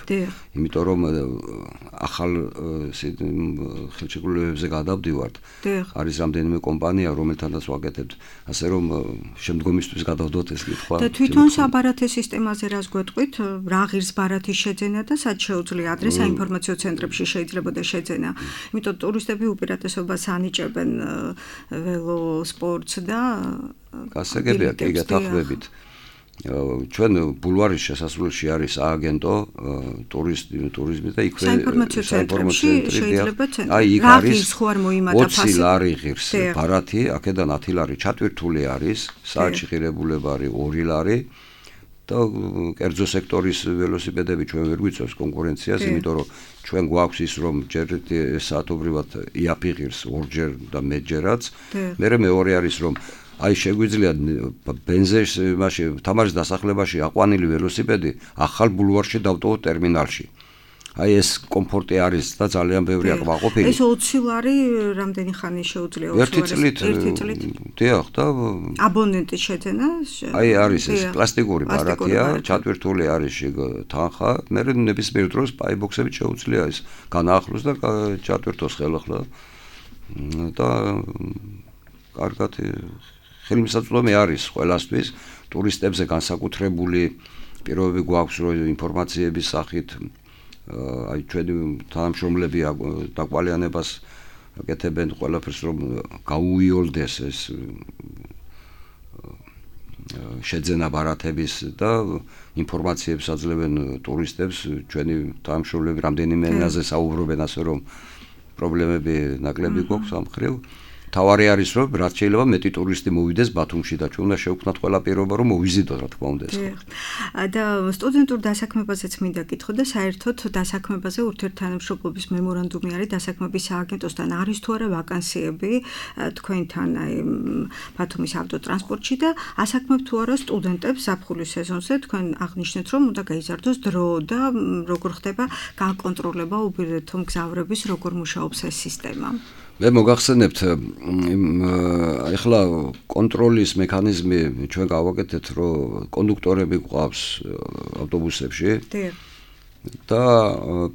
იმიტომ რომ ახალ ხელშეკრულებებზე გადავდივართ. არის რამდენიმე კომპანია, რომელთანაც ვაკეთებთ, ასე რომ შემდგომისთვის გადავდოთ ეს კითხვა. და თვითონ საბარათე სისტემაზე რას გვეტყვით? რა ღირს ბარათის შეძენა და სად შეუძლია ადრე საინფორმაციო ცენტრებში შეიძლებოდა შეძენა. იმიტომ ტურისტები უპირატესობას ანიჭებენ ველოსპორტს და გასაგებია კი გათანხმებით. ჩვენ ბულვარის შესასრულში არის სააგენტო ტურისტი ტურიზმი და იქვე საინფორმაციო ცენტრებში შეიძლება აი იქ არის ოცი ლარი ღირს ბარათი, აქედან ათი ლარი ჩატვირთული არის, საათში ღირებულება არის ორი ლარი და კერძო სექტორის ველოსიპედები ჩვენ ვერ გვიწევს კონკურენციას, იმიტომ რომ ჩვენ გვაქვს ის რომ ჯერ საათობრივად იაფი ღირს ორჯერ და მეტჯერაც. მერე მეორე არის რომ აი შეგვიძლია ბენზეში, მაშინ თამაშის დასახლებაში აყვანილი ველოსიპედი ახალ ბულვარში დავტოვოთ ტერმინალში. აი ეს კომფორტი არის და ძალიან ბევრი აკმაყოფილი. ეს ოცი ლარი რამდენი ხანი შეუძლია ოცი ლარი? ერთი წლით. დიახ და აბონენტის შეძენა? აი არის ეს პლასტიკური ბარათია, ჩატვირთული არის შიგ თანხა, მე ნებისმიერ დროს პაიბოქსებით შეუძლია ეს განაახლოს და ჩატვირთოს ხელახლა. და კარგად ხელმისაწვდომი არის ყველასთვის ტურისტებზე განსაკუთრებული პირობები გვაქვს რომ ინფორმაციების სახით აი ჩვენი თანამშრომლები დაკვალიანებას აკეთებენ ყველაფერს რომ გაუიოლდეს ეს შეძენა ბარათების და ინფორმაციებს აძლევენ ტურისტებს ჩვენი თანამშრომლები რამდენიმე ენაზე საუბრობენ ასე რომ პრობლემები ნაკლები გვაქვს ამ მხრივ თავარი არის რომ რაც შეიძლება მეტი ტურისტი მოვიდეს ბათუმში და ჩვენ უნდა შევქმნათ ყველა პირობა რომ მოვიზიდოთ რა თქმა უნდა ეს და სტუდენტურ დასაქმებაზეც მინდა კითხო და საერთოდ დასაქმებაზე ურთიერთთანამშრომლობის მემორანდუმი არის დასაქმების სააგენტოსთან არის თუ არა ვაკანსიები თქვენთან აი ბათუმის ავტოტრანსპორტში და ასაქმებთ თუ არა სტუდენტებს ზაფხულის სეზონზე თქვენ აღნიშნეთ რომ უნდა გაიზარდოს დრო და როგორ ხდება გაკონტროლება უბილეთო მგზავრების როგორ მუშაობს ეს სისტემა მე მოგახსენებთ ეხლა კონტროლის მექანიზმი ჩვენ გავაკეთეთ რომ კონდუქტორები გვყავს ავტობუსებში და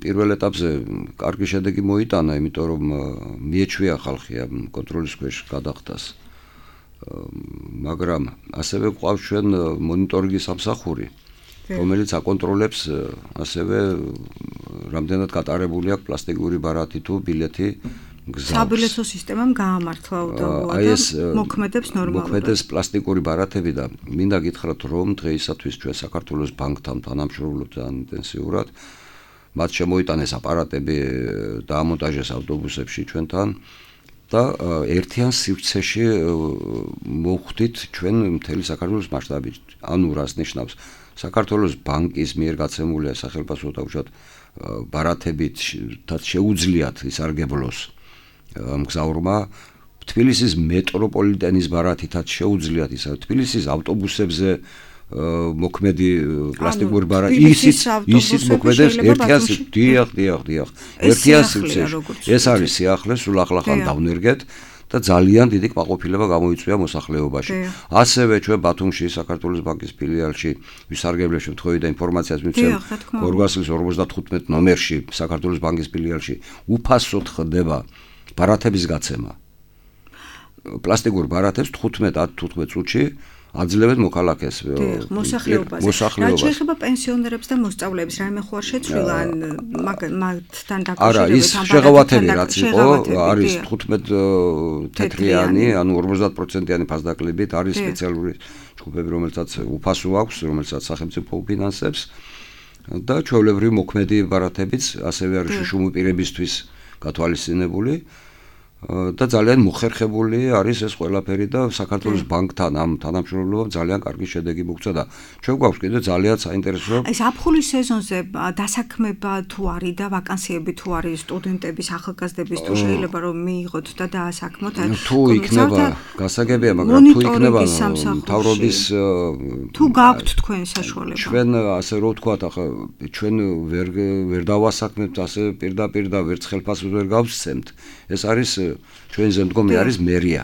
პირველ ეტაპზე კარგი შედეგი მოიტანა იმიტომ რომ მიეჩვია ხალხი ამ კონტროლის ქვეშ გადახდას მაგრამ ასევე გვყავს ჩვენ მონიტორინგის სამსახური რომელიც აკონტროლებს ასევე რამდენად გატარებული აქვს პლასტიკური ბარათი თუ ბილეთი საბილეთო სისტემამ გაამართლა უდავოა და მოქმედებს ნორმალურად. მოქმედებს პლასტიკური ბარათები და მინდა გითხრათ რომ დღეისათვის ჩვენ საქართველოს ბანკთან თანამშრომლობთ ინტენსიურად. მათ შემოიტანეს აპარატები და ამონტაჟეს ავტობუსებში ჩვენთან და ერთიან სივრცეში მოვხვდით ჩვენ მთელი საქართველოს მასშტაბით. ანუ რას ნიშნავს? საქართველოს ბანკის მიერ გაცემულია სახელმწიფო თავშად ბარათებით შეუძლიათ ისარგებლოს მგზავრმა თბილისის მეტროპოლიტენის ბარათითაც შეუძლიათ ისა თბილისის ავტობუსებზე მოქმედი პლასტიკური ბარათი ისიც ისიც მოქმედებს ერთიან დიახ დიახ დიახ ერთიან სივრცეში ეს არის სიახლე სულ ახლახან დავნერგეთ და ძალიან დიდი კმაყოფილება გამოიწვია მოსახლეობაში. ასევე ჩვენ ბათუმში საქართველოს ბანკის ფილიალში ვისარგებლეთ შემთხვევით და ინფორმაციას მივცემ ორ ორმოცდათხუთმეტ ნომერში საქართველოს ბანკის ფილიალში უფასოდ ხდება ბარათების გაცემა. პლასტიკურ ბარათებს თხუთმეტ ათ თხუთმეტ წუთში აძლევენ მოქალაქეს მოსახლეობას. რაც შეეხება პენსიონერებს და მოსწავლეებს, რაიმე ხო არ შეცვლილა ან მათთან დაკავშირებით არა, ის შეღავათები რაც იყო, არის თხუთმეტ თეთრიანი, ანუ ორმოცდაათ პროცენტიანი ფასდაკლებით არის სპეციალური ჯგუფები, რომელსაც უფასო აქვს, რომელსაც სახელმწიფო უფინანსებს და ჩვეულებრივი მოქმედი ბარათებიც ასევე არის შუშუმი პირებისთვის გათვალისწინებული. და ძალიან მოხერხებული არის ეს ყველაფერი და საქართველოს ბანკთან ამ თანამშრომლობამ ძალიან კარგი შედეგი მოგცა და ჩვენ გვაქვს კიდე ძალიან საინტერესო ეს აფხულის სეზონზე დასაქმება თუ არის და ვაკანსიები თუ არის სტუდენტების ახალგაზრდების თუ შეიძლება რომ მიიღოთ და დაასაქმოთ თუ იქნება გასაგებია მაგრამ თუ იქნება მთავრობის თუ გაქვთ თქვენ საშუალება ჩვენ ასე რომ ვთქვათ ახლა ჩვენ ვერ ვერ დავასაქმებთ ასე პირდაპირ და ვერც ხელფასს ვერ გავსცემთ ეს არის ჩვენზე მდგომი არის მერია.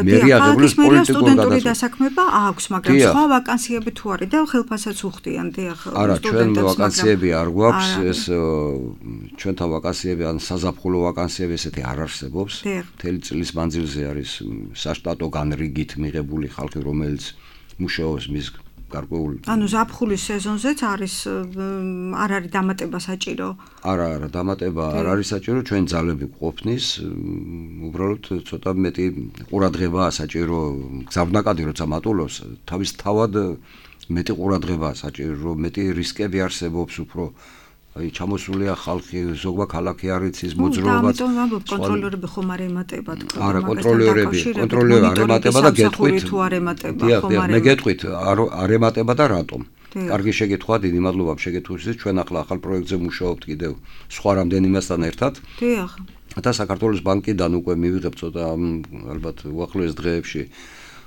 მერია ღებულობს პოლიტიკურ გადაწყვეტილებას. დასაქმება აქვს, მაგრამ სხვა ვაკანსიები თუ არის და ხელფასაც უხდიან დიახ. არა, ჩვენ ვაკანსიები არ გვაქვს, ეს ჩვენთან ვაკანსიები ან საზაფხულო ვაკანსიები ესეთი არ არსებობს. მთელი წლის მანძილზე არის საშტატო განრიგით მიღებული ხალხი, რომელიც მუშაობს მის გარკვეული. ანუ ზაფხულის სეზონზეც არის არ არის დამატება საჭირო? არა, არა, დამატება არ არის საჭირო, ჩვენ ძალები გვყოფნის, უბრალოდ ცოტა მეტი ყურადღებაა საჭირო, გზავნაკადი როცა მატულობს, თავის თავად მეტი ყურადღებაა საჭირო, მეტი რისკები არსებობს უფრო აი ჩამოსულია ხალხი, ზოგმა ქალაქი არ იცის მოძრაობაც. და ამიტომ ვამბობ, კონტროლერები ხომ არ ემატება თქო. არა, კონტროლერები, კონტროლერები არ ემატება და გეტყვით. თუ არ ემატება, ხომ არ. მე გეტყვით, არ ემატება და რატომ? კარგი შეკითხვა, დიდი მადლობა შეკითხვისთვის. ჩვენ ახლა ახალ პროექტზე მუშაობთ კიდევ სხვა რამდენიმესთან ერთად. დიახ. და საქართველოს ბანკიდან უკვე მივიღებთ ცოტა ალბათ უახლოეს დღეებში,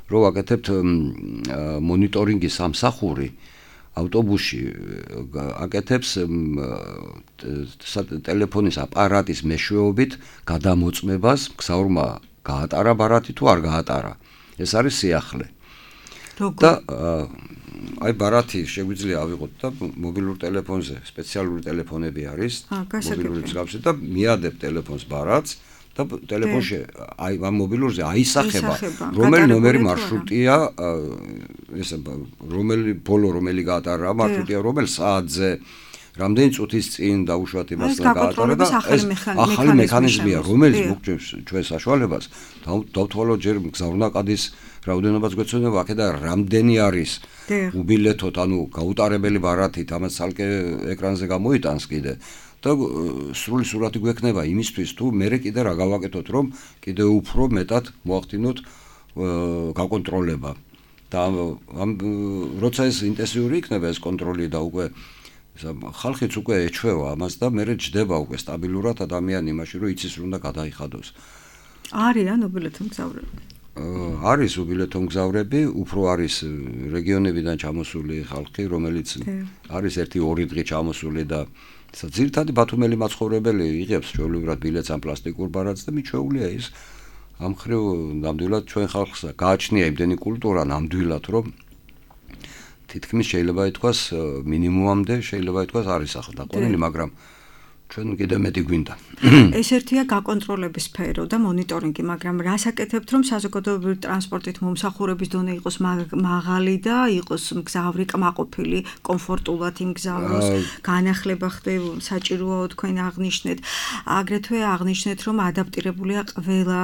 რომ ვაკეთებთ მონიტორინგის სამსახური. ავტობუსში აკეთებს ტელეფონის აპარატის მეშვეობით გადამოწმებას, მგზავრმა გაატარა ბარათი თუ არ გაატარა. ეს არის სიახლე. და აი ბარათი შეგვიძლია ავიღოთ და მობილურ ტელეფონზე სპეციალური ტელეფონები არის, მობილური მსგავსი და მიადებ ტელეფონს ბარათს და ტელეფონში აი ამ მობილურზე აისახება რომელი ნომერი მარშრუტია, ეს რომელი ბოლო რომელი გაატარა მარშრუტია, რომელ საათზე, რამდენი წუთის წინ დაუშვათ იმას და გაატარა და ეს ახალი მექანიზმია, რომელიც მოგჭირს ჩვენ საშუალებას დავთვალოთ ჯერ მგზავრნაკადის რაოდენობას გვეცოდება აქედან რამდენი არის უბილეთოთ, ანუ გაუტარებელი ბარათით, ამას ცალკე ეკრანზე გამოიტანს კიდე და სრული სურათი გვექნება იმისთვის თუ მერე კიდე რა გავაკეთოთ, რომ კიდე უფრო მეტად მოახდინოთ გაკონტროლება და ამ როცა ეს ინტენსიური იქნება ეს კონტროლი და უკვე ხალხიც უკვე ეჩვევა ამას და მერე ჯდება უკვე სტაბილურად ადამიანი იმაში, რომ იცის რომ უნდა გადაიხადოს. არიან უბილეთო მგზავრები? არის უბილეთო მგზავრები, უფრო არის რეგიონებიდან ჩამოსული ხალხი, რომელიც არის ერთი ორი დღე ჩამოსული და ძირითადი ბათუმელი მაცხოვრებელი იღებს ჩვეულებრივად ბილეთს ამ პლასტიკურ ბარათს და მიჩვეულია ის ამ ხრივ ნამდვილად ჩვენ ხალხს გააჩნია იმდენი კულტურა ნამდვილად, რომ თითქმის შეიძლება ითქვას მინიმუმამდე შეიძლება ითქვას არის ახლა დაყვანილი, მაგრამ ჩვენ კიდე მეტი გვინდა. ეს ერთია გაკონტროლების სფერო და მონიტორინგი, მაგრამ რას აკეთებთ, რომ საზოგადოებრივი ტრანსპორტით მომსახურების დონე იყოს მაღალი და იყოს მგზავრი კმაყოფილი, კომფორტულად იმგზავროს, განახლება ხდება, საჭიროა თქვენ აღნიშნეთ. აგრეთვე აღნიშნეთ, რომ ადაპტირებულია ყველა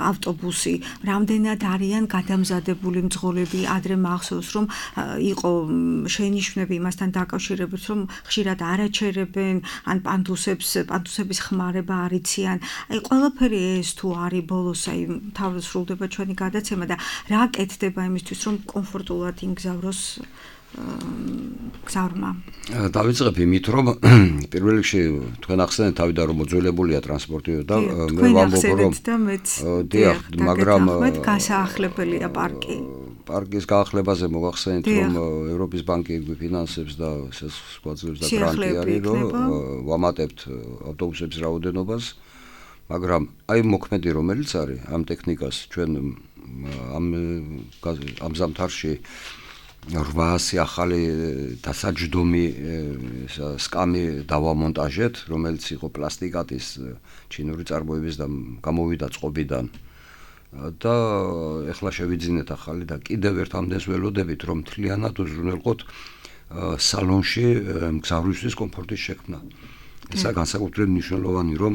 ავტობუსი. რამდენად არიან გადამზადებული მძღოლები, ადრე მახსოვს, რომ იყო შენიშვნები იმასთან დაკავშირებით, რომ ხშირად არაჩერებენ, ან პანდუსებს, პანდუსების ხმარება არ იციან. აი ყველაფერი ეს თუ არის ბოლოს, აი თავად სრულდება ჩვენი გადაცემა და რა კეთდება იმისთვის, რომ კომფორტულად იმგზავროს გზავრმა. დავიწყებ იმით, რომ პირველ რიგში თქვენ ახსენეთ თავიდან რომ მოძველებულია ტრანსპორტი და მე ვამბობ რომ დიახ, მაგრამ გასაახლებელია პარკი. პარკის გაახლებაზე მოგახსენეთ, რომ ევროპის ბანკი გვიფინანსებს და შეგვაძლევს და გრანტი არის, რომ ვამატებთ ავტობუსების რაოდენობას, მაგრამ აი მოქმედი რომელიც არის ამ ტექნიკას ჩვენ ამ ამ ზამთარში რვაასი ახალი დასაჯდომი სკამი დავამონტაჟეთ, რომელიც იყო პლასტიკატის ჩინური წარმოების და გამოვიდა წყობიდან და ეხლა შევიძინეთ ახალი და კიდევ ერთ ამდენს ველოდებით, რომ მთლიანად უზრუნველყოთ სალონში მგზავრისთვის კომფორტის შექმნა. ესა განსაკუთრებით მნიშვნელოვანი, რომ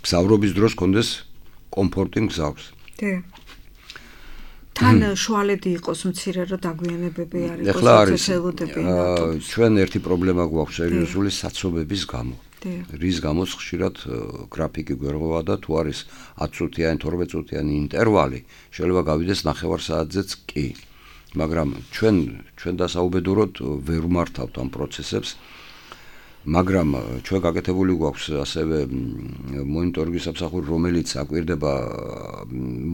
მგზავრობის დროს კონდეს კომფორტი მგზავრს. თან შუალედი იყოს მცირე რომ დაგვიანებები არ იყოს წესელოდები. ჩვენ ერთი პრობლემა გვაქვს სერიოზული საცობების გამო. რის გამოც ხშირად გრაფიკი გვერღვა და თუ არის ათი წუთიანი, თორმეტ წუთიანი ინტერვალი, შეიძლება გავიდეს ნახევარ საათზეც კი. მაგრამ ჩვენ ჩვენ დასაუბედუროდ ვერ ვმართავთ ამ პროცესებს. მაგრამ ჩვენ გაკეთებული გვაქვს ასევე მონიტორინგის სამსახური, რომელიც აკვირდება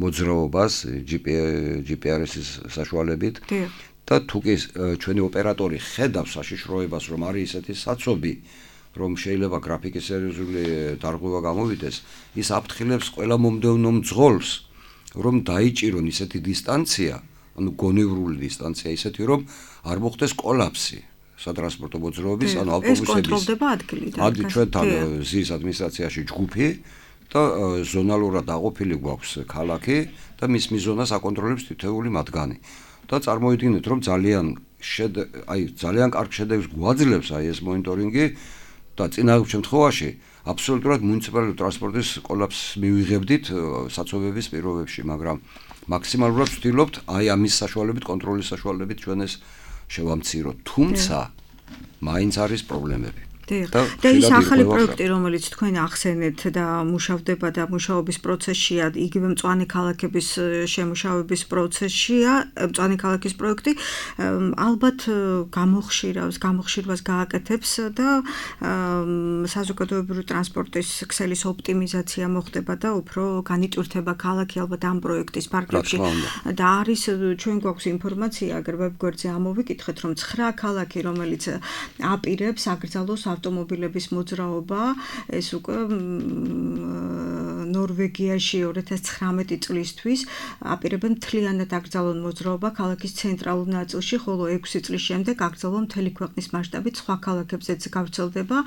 მოძრაობას ჯი პი არ ეს-ის საშუალებით და თუ კი ჩვენი ოპერატორი ხედავს საშიშროებას, რომ არის ისეთი საცობი, რომ შეიძლება გრაფიკის სერიოზული დარღვევა გამოვიდეს, ის აფრთხილებს ყველა მომდევნო მძღოლს, რომ დაიჭირონ ისეთი დისტანცია, ანუ გონევრული დისტანცია ისეთი, რომ არ მოხდეს კოლაფსი სატრანსპორტო მოძრაობის, ანუ ავტობუსების. ეს კონტროლდება ადგილიდან. ადი ჩვენთან ზის ადმინისტრაციაში ჯგუფი და ზონალურად დაყოფილი გვაქვს ქალაქი და მის მიზონას აკონტროლებს თითოეული მათგანი. და წარმოიდგინეთ, რომ ძალიან აი ძალიან კარგ შედეგს გვაძლევს აი ეს მონიტორინგი და წინააღმდეგ შემთხვევაში აბსოლუტურად მუნიციპალური ტრანსპორტის კოლაფსს მივიღებდით საცობების პირობებში, მაგრამ მაქსიმალურად ვცდილობთ აი ამის საშუალებით, კონტროლის საშუალებით ჩვენ ეს შევამციროთ. თუმცა მაინც არის პრობლემები. და ის ახალი პროექტი, რომელიც თქვენ ახსენეთ და მუშავდება და მუშაობის პროცესშია, იგივე მწვანე ქალაქების შემუშავების პროცესშია, მწვანე ქალაქის პროექტი ალბათ გამოხშირავს, გამოხშირვას გააკეთებს და საზოგადოებრივი ტრანსპორტის ქსელის ოპტიმიზაცია მოხდება და უფრო განიტვირთება ქალაქი ალბათ ამ პროექტის ფარგლებში. და არის ჩვენ გვაქვს ინფორმაცია, აგერ ვებგვერდზე ამოვიკითხეთ, რომ ცხრა ქალაქი, რომელიც აპირებს აკრძალოს ავტომობილების მოძრაობა, ეს უკვე ნორვეგიაში ორი ათას ცხრამეტი წლისთვის აპირებენ მთლიანად აკრძალონ მოძრაობა ქალაქის ცენტრალურ ნაწილში, ხოლო ექვსი წლის შემდეგ აკრძალონ მთელი ქვეყნის მასშტაბით სხვა ქალაქებზეც გავრცელდება.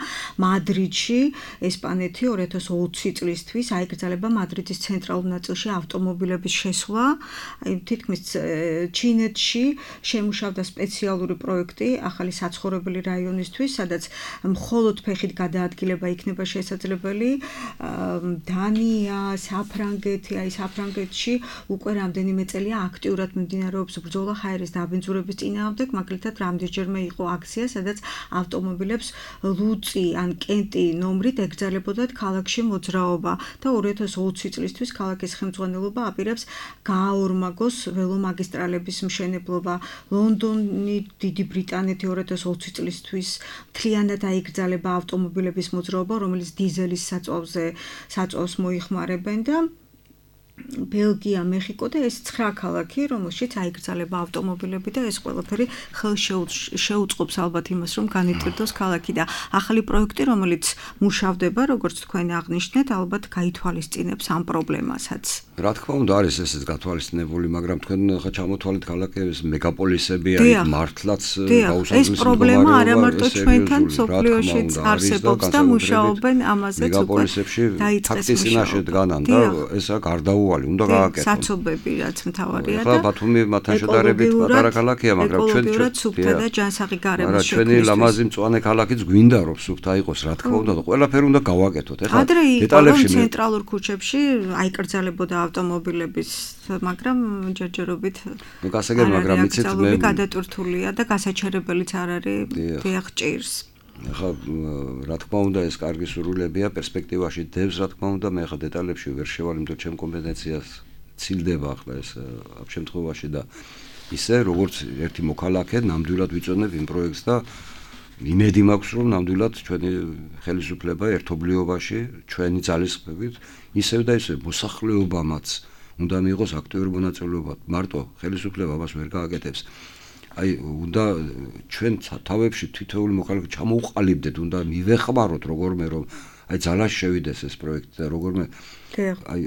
მადრიდში, ესპანეთი ორი ათას ოცი წლისთვის აიკრძალება მადრიდის ცენტრალურ ნაწილში ავტომობილების შესვლა. თითქმის ჩინეთში შემუშავდა სპეციალური პროექტი ახალი საცხოვრებელი რაიონისთვის, სადაც მხოლოდ ფეხით გადაადგილება იქნება შესაძლებელი. დანია, საფრანგეთი, აი საფრანგეთში უკვე რამდენიმე წელია აქტიურად მიმდინარეობს ბრძოლა ჰაერის დაბინძურების წინააღმდეგ, მაგალითად რამდენჯერმე იყო აქცია, სადაც ავტომობილებს ლუწი ან კენტი ნომრით ეკრძალებოდათ ქალაქში მოძრაობა და ორი ათას ოცი წლისთვის ქალაქის ხელმძღვანელობა აპირებს გააორმაგოს ველომაგისტრალების მშენებლობა. ლონდონი, დიდი ბრიტანეთი ორი ათას ოცი წლისთვის მთლიანად აიკრძალება ავტომობილების მოძრაობა, რომელიც დიზელის საწვავზე საწვავს მოიხმარებენ და ბელგია, მეხიკო და ეს ცხრა ქალაქი, რომელშიც აიკრძალება ავტომობილები და ეს ყველაფერი ხელშეუწყობს ალბათ იმას, რომ განიტვირთოს ქალაქი და ახალი პროექტი, რომელიც მუშავდება, როგორც თქვენ აღნიშნეთ, ალბათ გაითვალისწინებს ამ პრობლემასაც. რა თქმა უნდა, არის ესეც გათვალისწინებული, მაგრამ თქვენ ხა ჩამოთვალეთ ქალაქების მეგაპოლისები არის მართლაც გაუსაზღვრელი ეს პრობლემა არა მარტო ჩვენთან სოფლიოშიც არსებობს და მუშაობენ ამაზეც უკვე. მეგაპოლისებში ფაქტის წინაშე დგანან და ესა გარდაუვალი უნდა გააკეთონ. საცობები რაც მთავარია და ხა ბათუმი მათთან შედარებით პატარა ქალაქია, მაგრამ ჩვენ ეკოლოგიურად სუფთა და ჯანსაღი გარემოს შექმნისთვის. ჩვენი ლამაზი მწვანე ქალაქიც გვინდა რომ სუფთა იყოს, რა თქმა უნდა, და ყველაფერი უნდა გავაკეთოთ. ეხლა დეტალებში ცენტრალურ ქუჩებში აიკრძალებოდა ავტომობილების, მაგრამ ჯერჯერობით გასაგებ, მაგრამ იცით მე გადატვირთულია და გასაჩერებელიც არ არის დიახ ჭირს. ახლა რა თქმა უნდა ეს კარგი სურვილებია პერსპექტივაში დევს, რა თქმა უნდა, მე ახლა დეტალებში ვერ შევალ, იმიტომ ჩემ კომპეტენციას ცილდება ახლა ეს ამ შემთხვევაში და ისე როგორც ერთი მოქალაქე ნამდვილად ვიწოდებ იმ პროექტს და იმედი მაქვს რომ ნამდვილად ჩვენი ხელისუფლება ერთობლიობაში ჩვენი ძალისხმევით ისევ და ისევ მოსახლეობამაც უნდა მიიღოს აქტიური მონაწილეობა. მარტო ხელისუფლება მას ვერ გააკეთებს. აი უნდა ჩვენ თავებში თითოეული მოქალაქე ჩამოუყალიბდეთ, უნდა მივეხმაროთ როგორმე რომ აი ძალაში შევიდეს ეს პროექტი და როგორმე აი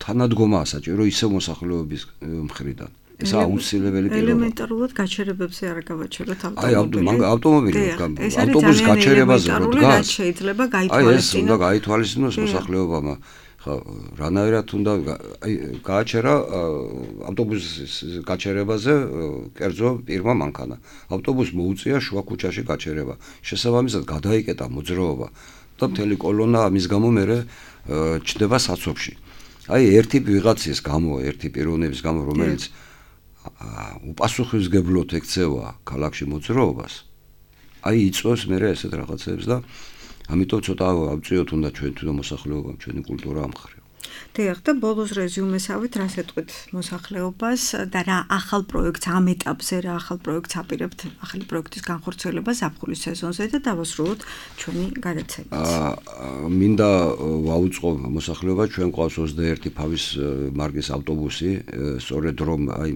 თანადგომაა საჭირო ისევ მოსახლეობის მხრიდან. ეს აუცილებელი პირობაა. ელემენტარულად გაჩერებებზე არ გავაჩეროთ ავტომობილი. აი ავტომობილი ავტობუსის გაჩერებაზე რო დგას, შეიძლება გაითვალისწინოს. აი ეს უნდა გაითვალისწინოს მოსახლეობამ. ხა რანაირად უნდა აი გააჩერა ავტობუსის გაჩერებაზე კერძო პირმა მანქანა. ავტობუსს მოუწია შუა ქუჩაში გაჩერება. შესაბამისად გადაიკეტა მოძრაობა და მთელი კოლონა ამის გამო მერე ჩდება საცობში. აი ერთი ვიღაცის გამო, ერთი პიროვნების გამო, რომელიც უპასუხისმგებლოდ ექცევა ქალაქში მოძრაობას, აი იწვევს მერე ესეთ რაღაცებს და ამიტომ ცოტა ავწიოთ უნდა ჩვენ თვითონ მოსახლეობამ, ჩვენი კულტურა ამხრივ. დიახ, და ბოლოს რეზიუმესავით, რა სეტყვით მოსახლეობას და რა ახალ პროექტს ამ ეტაპზე რა ახალ პროექტს აპირებთ ახალი პროექტის განხორციელებას ზაფხულის სეზონზე და დავასრულოთ ჩვენი გადაცემაც. მინდა ვაუწყო მოსახლეობა, ჩვენ ყავს ოცდაერთი ფავის მარკის ავტობუსი, სწორედ რომ აი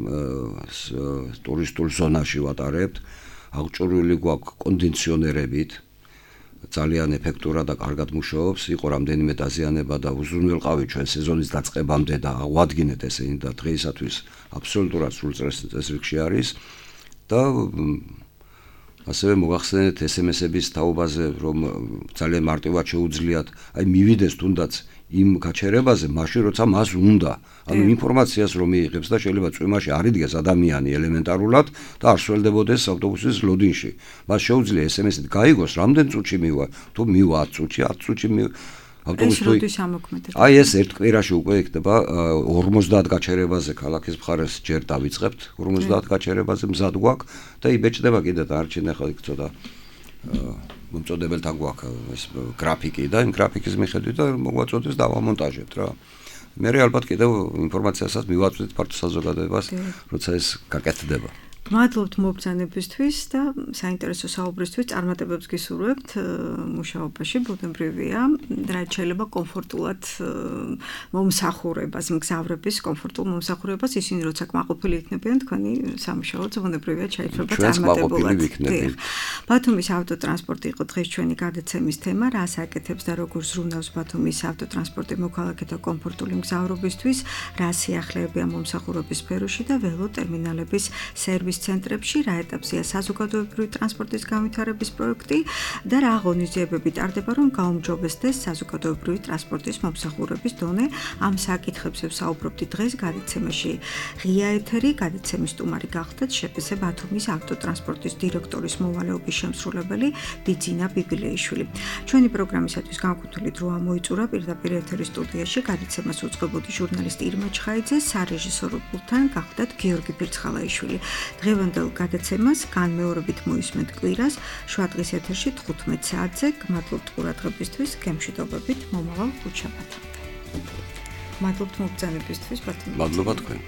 ტურისტულ ზონაში ვატარებთ, აღჭურვილი გვაქვს კონდიციონერებით. ძალიან ეფექტურად და კარგად მუშაობს, იყო რამდენიმე დაზიანება და უზრუნველყავი ჩვენ სეზონის დაწყებამდე და აღვადგინეთ ესენი და დღეისათვის აბსოლუტურად სრულ წესრიგში არის და ასევე მოგახსენეთ ეს ემ ესების თაობაზე, რომ ძალიან მარტივად შეუძლიათ, აი მივიდეს თუნდაც იმ გაჩერებაზე, მაშინ როცა მას უნდა, ანუ ინფორმაციას რომ მიიღებს და შეიძლება წვიმაში არ იდგეს ადამიანი ელემენტარულად და არ სველდებოდეს ავტობუსის ლოდინში. მას შეუძლია ეს ემ ესით გაიგოს, რამდენ წუთში მივა, თუ მივა ათ წუთში, ათ წუთში ავტობუსი თუ აი ეს ერთ კვირაში უკვე იქნება ორმოცდაათ გაჩერებაზე ქალაქის მხარეს ჯერ დავიწყებთ, ორმოცდაათ გაჩერებაზე მზად გვაქვს და იბეჭდება კიდე და არჩენ ახლა იქ ცოტა მომწოდებელთან გვაქვს ეს გრაფიკი და იმ გრაფიკის მიხედვით და მოგვაწოდეს დავამონტაჟებთ რა. მე ალბათ კიდევ ინფორმაციასაც მივაწვდით ფართო საზოგადოებას, როცა ეს გაკეთდება. მადლობთ მობრძანებისთვის და საინტერესო საუბრისთვის. წარმატებებს გისურვებთ მუშაობაში, ბუნებრივია, რაც შეიძლება კომფორტულად მომსახურებას, მგზავრების კომფორტულ მომსახურებას, ისინი როცა კმაყოფილი იქნებიან, თქვენი სამუშაოც ბუნებრივია შეიძლება წარმატებულად. ბათუმის ავტოტრანსპორტი იყო დღეს ჩვენი გადაცემის თემა, რას აკეთებს და როგორ ზრუნავს ბათუმის ავტოტრანსპორტი მოქალაქეთა კომფორტული მგზავრობისთვის, რა სიახლეებია მომსახურების სფეროში და ველოტერმინალების სერვისის ცენტრებში, რა ეტაპზეა საზოგადოებრივი ტრანსპორტის განვითარების პროექტი და რა აღონიზიებები ტარდება, რომ გაუმჯობესდეს საზოგადოებრივი ტრანსპორტის მომსახურების დონე. ამ საკითხებზე ვსაუბრობდით დღეს გადაცემაში. ღია ეთერი, გადაცემის სტუმარი გახდათ შპს ბათუმის ავტოტრანსპორტის დირექტორის მოვალეობის შემსრულებელი ბიძინა ბიბილეიშვილი. ჩვენი პროგრამისათვის განკუთვნილი დრო ამოიწურა პირდაპირ ეთერის სტუდიაში გადაცემას უწყებოდი ჟურნალისტი ირმა ჩხაიძე, სარეჟისორო პულტთან გახდათ გიორგი ფირცხალაიშვილი. დღევანდელ გადაცემას განმეორებით მოისმენთ კვირას, შუადღის ეთერში თხუთმეტ საათზე. გმადლობთ ყურადღებისთვის, გემშვიდობებით, მომავალ ხუთშაბათამდე. მადლობთ მობრძანებისთვის, ბათუმი. მადლობა თქვენ.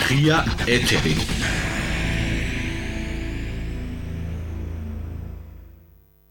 ღია ეთერი.